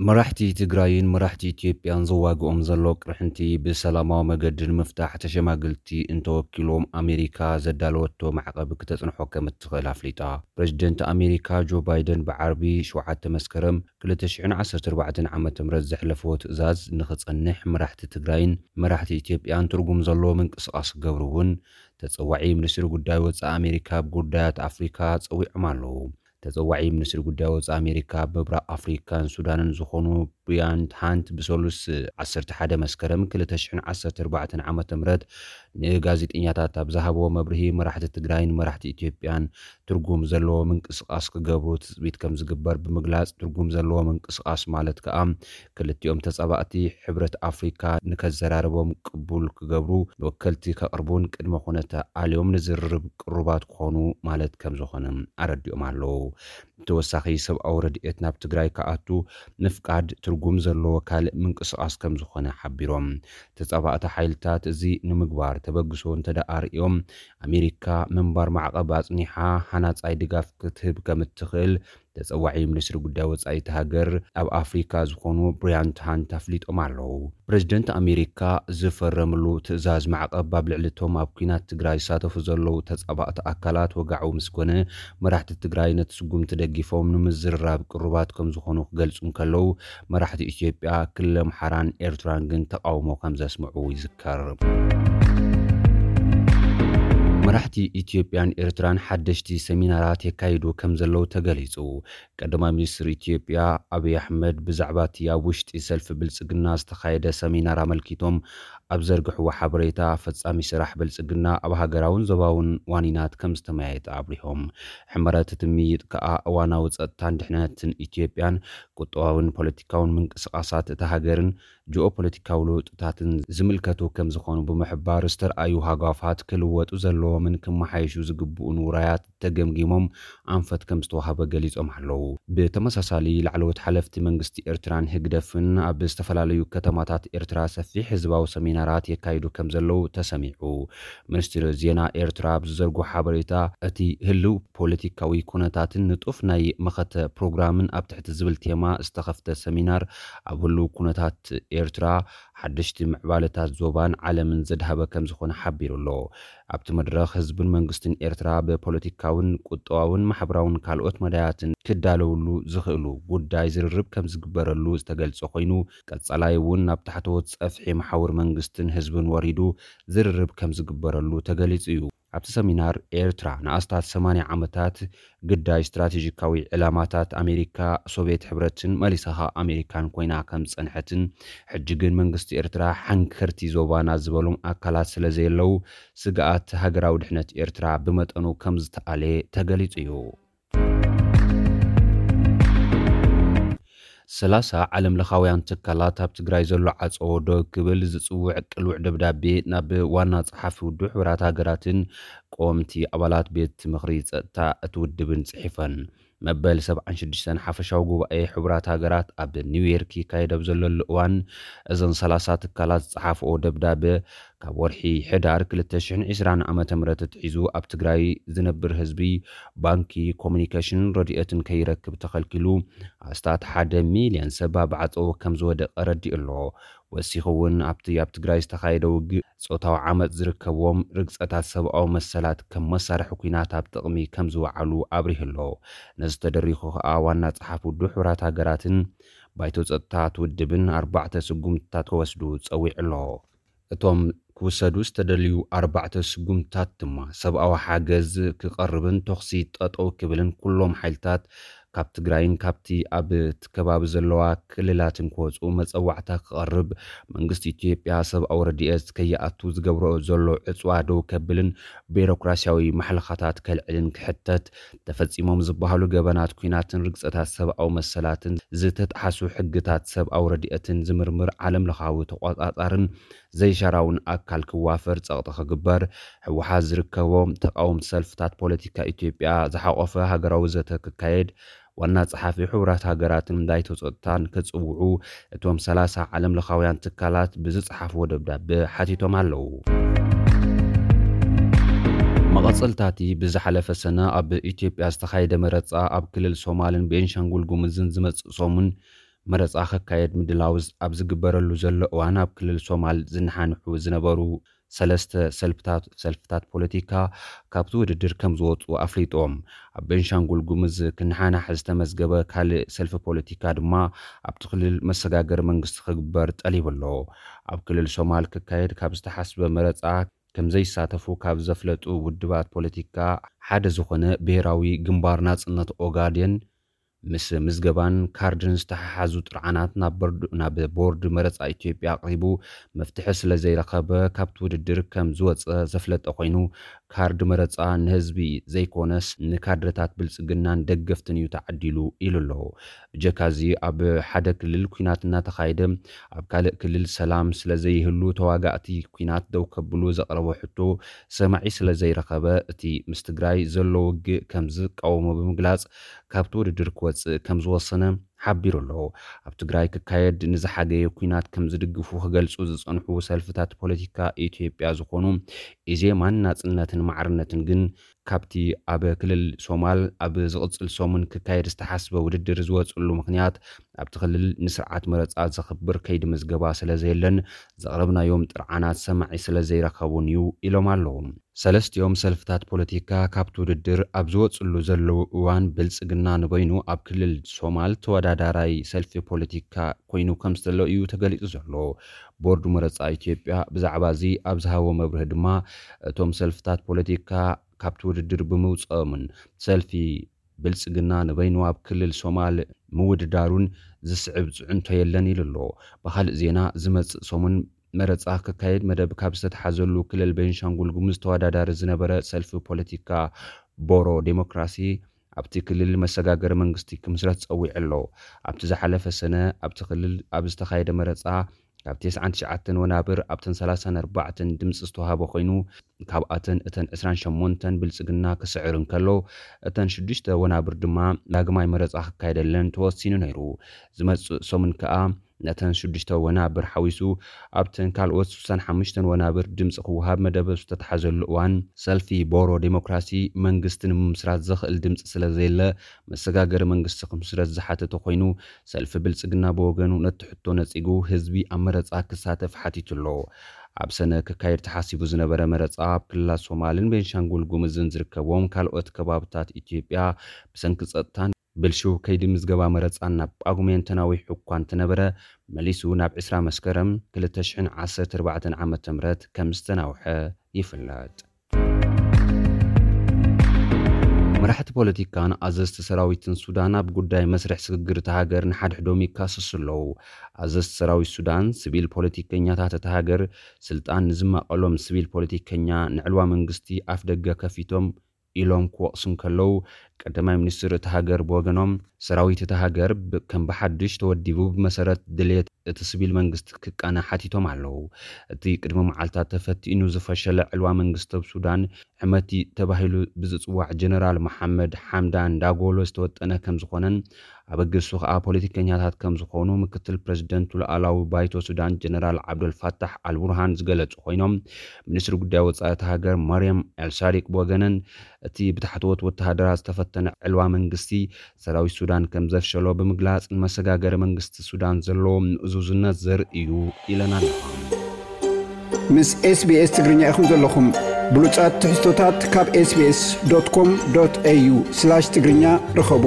መራሕቲ ትግራይን መራሕቲ ኢትዮጵያን ዘዋግኦም ዘሎ ቅርሕንቲ ብሰላማዊ መገዲ ንምፍታሕ ተሸማግልቲ እንተወኪሎም ኣሜሪካ ዘዳለወቶ ማዕቐብ ክተጽንሖ ከም እትኽእል ኣፍሊጣ። ፕሬዚደንት ኣሜሪካ ጆ ባይደን ብዓርቢ ሸውዓተ መስከረም ክልተ ሽሕን ዓሰርተ ኣርባዕተን ዓመተ ምህረት ዘሕለፍዎ ትእዛዝ ንኽጸንሕ መራሕቲ ትግራይን መራሕቲ ኢትዮጵያን ትርጉም ዘለዎ ምንቅስቓስ ክገብሩ እውን ተጸዋዒ ሚኒስትሪ ጉዳይ ወጻኢ ኣሜሪካ ኣብ ጉዳያት ኣፍሪካ ጸዊዖም ኣለዉ። ተጸዋዒ ሚኒስትሪ ጉዳይ ወጻኢ ኣሜሪካ ኣብ ምብራቕ ኣፍሪካን ሱዳንን ዝኾኑ ብሪያን ሃንት ብሰሉስ ዓሰርተ ሓደ መስከረም ክልተ ሽሕን ዓሰርተ ኣርባዕተን ዓመተ ምህረት ንጋዜጠኛታት ኣብ ዝሃብዎ መብርሂ መራሕቲ ትግራይን መራሕቲ ኢትዮጵያን ትርጉም ዘለዎ ምንቅስቓስ ክገብሩ ትጽቢት ከም ዝግበር ብምግላጽ ትርጉም ዘለዎ ምንቅስቓስ ማለት ከኣ ክልቲኦም ተጻባእቲ ሕብረት ኣፍሪካ ንከዘራርቦም ቅቡል ክገብሩ ንወከልቲ ከቕርቡን ቅድመ ኩነተ ኣልዮም ንዝርርብ ቅሩባት ክኾኑ ማለት ከም ዝኾነ ኣረዲኦም ኣለዉ። ተወሳኺ ሰብኣዊ ረድኤት ናብ ትግራይ ክኣቱ ምፍቃድ ትርጉም ዘለዎ ካልእ ምንቅስቓስ ከም ዝኾነ ሓቢሮም። ተጻባእቲ ሓይልታት እዚ ንምግባር ተበግሶ እንተደኣ ርእዮም ኣሜሪካ ምንባር ማዕቐብ ኣጽኒሓ ሃናጻይ ድጋፍ ክትህብ ከም እትኽእል ተጸዋዒ ሚኒስትሪ ጉዳይ ወጻኢ እቲ ሃገር ኣብ ኣፍሪካ ዝኾኑ ብሪያን ሃንት ኣፍሊጦም ኣለዉ። ፕሬዚደንት ኣሜሪካ ዝፈረምሉ ትእዛዝ ማዕቐብ ኣብ ልዕሊ እቶም ኣብ ኲናት ትግራይ ዝሳተፉ ዘለዉ ተጻባእቲ ኣካላት ወግዓዊ ምስ ኮነ መራሕቲ ትግራይ ነቲ ስጉምቲ ደጊፎም ንምዝርራብ ቅሩባት ከም ዝኾኑ ክገልጹ እንከለዉ መራሕቲ ኢትዮጵያ፣ ክልል ኣምሓራን ኤርትራን ግን ተቓውሞ ከም ዘስምዑ ይዝከር። መራሕቲ ኢትዮጵያን ኤርትራን ሓደሽቲ ሰሚናራት የካይዱ ከም ዘለዉ ተገሊጹ። ቀዳማይ ሚኒስትር ኢትዮጵያ ኣብይ ኣሕመድ ብዛዕባ እቲ ኣብ ውሽጢ ሰልፊ ብልጽግና ዝተኻየደ ሰሚናር ኣመልኪቶም ኣብ ዘርግሕዎ ሓበሬታ ፈጻሚ ስራሕ ብልጽግና ኣብ ሃገራውን ዞባውን ዋኒናት ከም ዝተመያየጠ ኣብሪሆም። ሕመረት እቲ ምይይጥ ከኣ እዋናዊ ጸጥታን ድሕነትን ኢትዮጵያን ቁጠባውን ፖለቲካውን ምንቅስቓሳት እታ ሃገርን ጂኦፖለቲካዊ ለውጥታትን ዝምልከቱ ከም ዝኾኑ ብምሕባር ዝተርኣዩ ሃጓፋት ክልወጡ ዘለዎምን ክመሓየሹ ዝግብኡን ውራያት ተገምጊሞም ኣንፈት ከም ዝተዋህበ ገሊጾም ኣለዉ። ብተመሳሳሊ ላዕለዎት ሓለፍቲ መንግስቲ ኤርትራን ህግደፍን ኣብ ዝተፈላለዩ ከተማታት ኤርትራ ሰፊሕ ህዝባዊ ሰሚናራት የካይዱ ከም ዘለዉ ተሰሚዑ። ሚኒስትሪ ዜና ኤርትራ ኣብ ዝዘርግሖ ሓበሬታ እቲ ህልው ፖለቲካዊ ኩነታትን ንጡፍ ናይ መኸተ ፕሮግራምን ኣብ ትሕቲ ዝብል ቴማ ዝተኸፍተ ሰሚናር ኣብ ህልው ኩነታት ኤርትራ ሓደሽቲ ምዕባለታት ዞባን ዓለምን ዘድሃበ ከም ዝኾነ ሓቢሩ ኣሎ። ኣብቲ መድረኽ ህዝብን መንግስትን ኤርትራ ብፖለቲካውን ቁጠባውን ማሕበራውን ካልኦት መዳያትን ክዳለውሉ ዝኽእሉ ጉዳይ ዝርርብ ከም ዝግበረሉ ዝተገልጸ ኮይኑ ቀጻላይ እውን ናብ ታሕተዎት ጸፍሒ መሓውር መንግስትን ህዝብን ወሪዱ ዝርርብ ከም ዝግበረሉ ተገሊጹ እዩ። ኣብቲ ሰሚናር ኤርትራ ንኣስታት ሰማንያ ዓመታት ግዳይ ስትራቴጂካዊ ዕላማታት ኣሜሪካ፣ ሶቪየት ሕብረትን መሊሳ ኸኣ ኣሜሪካን ኮይና ከም ዝጸንሐትን ሕጂ ግን መንግስቲ ኤርትራ ሓንከርቲ ዞባና ዝበሎም ኣካላት ስለ ዘየለዉ ስግኣት ሃገራዊ ድሕነት ኤርትራ ብመጠኑ ከም ዝተኣለ ተገሊጹ እዩ። ሰላሳ ዓለም ለኻውያን ትካላት ኣብ ትግራይ ዘሎ ዓጸዎ ደው ክብል ዝጽውዕ ቅሉዕ ደብዳቤ ናብ ዋና ጸሓፊ ውድብ ሕቡራት ሃገራትን ቀወምቲ ኣባላት ቤት ምኽሪ ጸጥታ እቲ ውድብን ጽሒፈን። መበል ሰብዓን ሽዱሽተን ሓፈሻዊ ጉባኤ ሕቡራት ሃገራት ኣብ ኒውዮርክ ይካየድ ኣብ ዘለሉ እዋን እዘን ሰላሳ ትካላት ዝጸሓፍኦ ደብዳቤ ካብ ወርሒ ሕዳር ክልተ ሽሕን ዕስራን ዓመተ ምህረት ኣትሒዙ ኣብ ትግራይ ዝነብር ህዝቢ ባንኪ፣ ኮሙኒኬሽን፣ ረድኤትን ከይረክብ ተኸልኪሉ ኣስታት ሓደ ሚልዮን ሰብ ኣብ ዓጸዎ ከም ዝወደቐ ረዲኡ ኣሎ። ወሲኹ እውን ኣብቲ ኣብ ትግራይ ዝተኻየደ ውግእ ጾታዊ ዓመጽ ዝርከብዎም ርግጸታት ሰብኣዊ መሰላት ከም መሳርሒ ኲናት ኣብ ጥቕሚ ከም ዝወዓሉ ኣብሪሁ ኣሎ። ነዚ ተደሪኹ ከኣ ዋና ጸሓፊ ውድብ ሕቡራት ሃገራትን ባይቶ ጸጥታ እቲ ውድብን ኣርባዕተ ስጉምትታት ክወስዱ ጸዊዑ ኣሎ። እቶም ክውሰዱ ዝተደልዩ ኣርባዕተ ስጉምትታት ድማ ሰብኣዊ ሓገዝ ክቐርብን ተኹሲ ጠጠው ክብልን ኩሎም ሓይልታት ካብ ትግራይን ካብቲ ኣብ እቲ ከባቢ ዘለዋ ክልላትን ክወፁ መፀዋዕታ ክቐርብ መንግስቲ ኢትዮጵያ ሰብኣዊ ረድኤት ከይኣቱ ዝገብሮ ዘሎ ዕፅዋ ደው ከብልን ቢሮክራሲያዊ ማሕለኻታት ከልዕልን ክሕተት ተፈፂሞም ዝበሃሉ ገበናት ኲናትን ርግፀታት ሰብኣዊ መሰላትን ዝተጥሓሱ ሕግታት ሰብኣዊ ረድኤትን ዝምርምር ዓለም ለኻዊ ተቆፃፃርን ዘይሻራውን ኣካል ክዋፈር ጸቕጢ ክግበር፣ ህወሓት ዝርከቦም ተቓወምቲ ሰልፍታት ፖለቲካ ኢትዮጵያ ዝሓቖፈ ሃገራዊ ዘተ ክካየድ ዋና ጸሓፊ ሕቡራት ሃገራትን ባይቶ ጸጥታን ክጽውዑ እቶም ሰላሳ ዓለም ለኻውያን ትካላት ብዝጸሓፍዎ ደብዳበ ሓቲቶም ኣለዉ። መቐጸልታቲ ብዝሓለፈ ሰነ ኣብ ኢትዮጵያ ዝተኻየደ መረጻ ኣብ ክልል ሶማልን ቤንሻንጉል ጉሙዝን ዝመጽእ ሰሙን መረፃ ክካየድ ምድላው ኣብ ዝግበረሉ ዘሎ እዋን ኣብ ክልል ሶማል ዝነሓንሑ ዝነበሩ ሰለስተ ሰልፍታት ሰልፍታት ፖለቲካ ካብቲ ውድድር ከም ዝወፁ ኣፍሊጦም። ኣብ ቤንሻንጉል ጉምዝ ክነሓናሕ ዝተመዝገበ ካልእ ሰልፊ ፖለቲካ ድማ ኣብቲ ክልል መሰጋገሪ መንግስቲ ክግበር ጠሊቡ ኣሎ። ኣብ ክልል ሶማል ክካየድ ካብ ዝተሓስበ መረፃ ከም ዘይሳተፉ ካብ ዘፍለጡ ውድባት ፖለቲካ ሓደ ዝኾነ ብሄራዊ ግንባር ናፅነት ኦጋዴን፣ ምስ ምዝገባን ካርድን ዝተሓሓዙ ጥርዓናት ናብ ቦርድ መረፃ ኢትዮጵያ ኣቕሪቡ መፍትሒ ስለ ዘይረኸበ ካብቲ ውድድር ከም ዝወፀ ዘፍለጠ ኮይኑ፣ ካርድ መረፃ ንህዝቢ ዘይኮነስ ንካድረታት ብልፅግናን ደገፍትን እዩ ተዓዲሉ ኢሉ ኣሎ። ብጀካዚ ኣብ ሓደ ክልል ኲናት እናተኻየደ ኣብ ካልእ ክልል ሰላም ስለ ዘይህሉ ተዋጋእቲ ኲናት ደው ከብሉ ዘቕረቦ ሕቶ ሰማዒ ስለ ዘይረኸበ እቲ ምስ ትግራይ ዘሎ ውግእ ከም ዝቃወሞ ብምግላፅ ካብቲ ውድድር ክወፅእ ከም ዝወሰነ ሓቢሩ ኣሎ። ኣብ ትግራይ ክካየድ ንዝሓገየ ኲናት ከም ዝድግፉ ክገልፁ ዝፀንሑ ሰልፍታት ፖለቲካ ኢትዮጵያ ዝኾኑ ኢዜማን ናፅነትን ማዕርነትን ግን ካብቲ ኣብ ክልል ሶማል ኣብ ዝቕፅል ሰሙን ክካየድ ዝተሓስበ ውድድር ዝወፅሉ ምኽንያት ኣብቲ ክልል ንስርዓት መረፃ ዘኽብር ከይዲ ምዝገባ ስለ ዘየለን ዘቕረብናዮም ጥርዓናት ሰማዒ ስለ ዘይረኸቡን እዩ ኢሎም ኣለዉ። ሰለስቲኦም ሰልፍታት ፖለቲካ ካብቲ ውድድር ኣብ ዝወፅሉ ዘለዉ እዋን ብልፅግና ንበይኑ ኣብ ክልል ሶማል ተወዳዳራይ ሰልፊ ፖለቲካ ኮይኑ ከም ዘሎ እዩ ተገሊፁ ዘሎ። ቦርድ መረፃ ኢትዮጵያ ብዛዕባ እዚ ኣብ ዝሃቦ መብርሂ ድማ እቶም ሰልፍታት ፖለቲካ ካብቲ ውድድር ብምውፅኦምን ሰልፊ ብልፅግና ንበይኑ ኣብ ክልል ሶማል ምውድዳሩን ዝስዕብ ፅዕንቶ የለን ኢሉ ኣሎ። ብኻልእ ዜና ዝመፅእ ሰሙን መረፃ ክካየድ መደብ ካብ ዝተተሓዘሉ ክልል ቤንሻንጉል ጉሙዝ ተወዳዳሪ ዝነበረ ሰልፊ ፖለቲካ ቦሮ ዴሞክራሲ ኣብቲ ክልል መሰጋገሪ መንግስቲ ክምስረት ፀዊዑ ኣሎ። ኣብቲ ዝሓለፈ ሰነ ኣብቲ ክልል ኣብ ዝተኻየደ መረፃ ካብ ተስዓን ትሽዓተን ወናብር ኣብተን ሰላሳን ኣርባዕተን ድምፂ ዝተዋሃበ ኮይኑ ካብኣተን እተን ዕስራን ሸሞንተን ብልፅግና ክስዕር እንከሎ እተን ሽዱሽተ ወናብር ድማ ዳግማይ መረፃ ክካየደለን ተወሲኑ ነይሩ። ዝመፅእ ሰሙን ከኣ ነተን ሽዱሽተ ወናብር ሓዊሱ ኣብተን ካልኦት ስሳን ሓሙሽተን ወናብር ድምፂ ክወሃብ መደብ ዝተተሓዘሉ እዋን ሰልፊ ቦሮ ዴሞክራሲ መንግስቲ ንምምስራት ዘኽእል ድምፂ ስለ ዘየለ መሰጋገሪ መንግስቲ ክምስረት ዝሓተተ ኮይኑ ሰልፊ ብልፅግና ብወገኑ ነቲ ሕቶ ነፂጉ ህዝቢ ኣብ መረፃ ክሳተፍ ሓቲቱ ኣሎ። ኣብ ሰነ ክካየድ ተሓሲቡ ዝነበረ መረፃ ኣብ ክልላት ሶማልን ቤንሻንጉል ጉምዝን ዝርከብዎም ካልኦት ከባብታት ኢትዮጵያ ብሰንኪ ፀጥታን ብልሽው ከይዲ ምዝገባ መረፃን ናብ ጳጉሜን ተናዊሑ እኳ እንተነበረ መሊሱ ናብ ዕስራ መስከረም ክልተ ሽሕን ዓሰርተ ኣርባዕተን ዓመተ ምህረት ከም ዝተናውሐ ይፍለጥ። መራሕቲ ፖለቲካን ኣዘዝቲ ሰራዊትን ሱዳን ኣብ ጉዳይ መስርሕ ስግግር እታ ሃገር ንሓድሕዶም ይካሰሱ ኣለዉ። ኣዘዝቲ ሰራዊት ሱዳን ስቪል ፖለቲከኛታት እታ ሃገር ስልጣን ንዝማቐሎም ስቪል ፖለቲከኛ ንዕልዋ መንግስቲ ኣፍ ደገ ከፊቶም ኢሎም ክወቕሱ እንከለዉ ቀዳማይ ሚኒስትር እታ ሃገር ብወገኖም ሰራዊት እታ ሃገር ከም ብሓድሽ ተወዲቡ ብመሰረት ድሌት እቲ ስቪል መንግስቲ ክቃነ ሓቲቶም ኣለዉ። እቲ ቅድሚ መዓልታት ተፈቲኑ ዝፈሸለ ዕልዋ መንግስቲ ኣብ ሱዳን ሕመቲ ተባሂሉ ብዝፅዋዕ ጀነራል መሓመድ ሓምዳን ዳጎሎ ዝተወጠነ ከም ዝኾነን ኣበገሱ ከዓ ፖለቲከኛታት ከም ዝኾኑ ምክትል ፕሬዚደንቱ ሉኣላዊ ባይቶ ሱዳን ጀነራል ዓብደልፋታሕ ኣልቡርሃን ዝገለፁ ኮይኖም ሚኒስትሪ ጉዳይ ወፃኢ እታ ሃገር መርየም ኤልሳዲቅ ብወገነን እቲ ብታሕተዎት ወተሃደራት ዝተፈተነ ዕልዋ መንግስቲ ሰራዊት ሱዳን ከም ዘፍሸሎ ብምግላፅ ንመሰጋገሪ መንግስቲ ሱዳን ዘለዎ ምእዙዝነት ዘርኢ እዩ ኢለን ኣለዋ። ምስ SBS ትግርኛ ኢኹም ዘለኹም። ብሉጻት ትሕዝቶታት ካብ SBS.com.au/ትግርኛ ርኸቡ።